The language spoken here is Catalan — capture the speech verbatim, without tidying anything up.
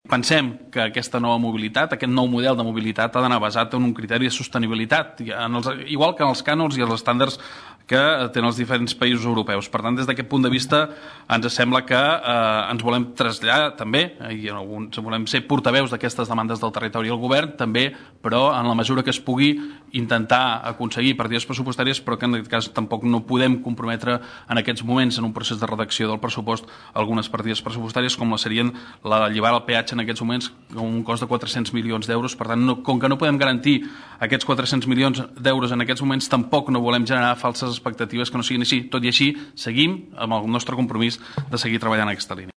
pensem que aquesta nova mobilitat, aquest nou model de mobilitat ha d'anar basat en un criteri de sostenibilitat, en els, igual que en els cànons i els estàndards que tenen els diferents països europeus. Per tant, des d'aquest punt de vista, ens sembla que eh, ens volem traslladar també, i en alguns volem ser portaveus d'aquestes demandes del territori al govern, també, però en la mesura que es pugui intentar aconseguir partides pressupostàries, però que en aquest cas tampoc no podem comprometre en aquests moments en un procés de redacció del pressupost algunes partides pressupostàries, com la serien la de llevar el peatge en aquests moments amb un cost de quatre-cents milions d'euros. Per tant, no, com que no podem garantir aquests quatre-cents milions d'euros en aquests moments, tampoc no volem generar falses expectatives que no siguin així. Tot i així, seguim amb el nostre compromís de seguir treballant en aquesta línia.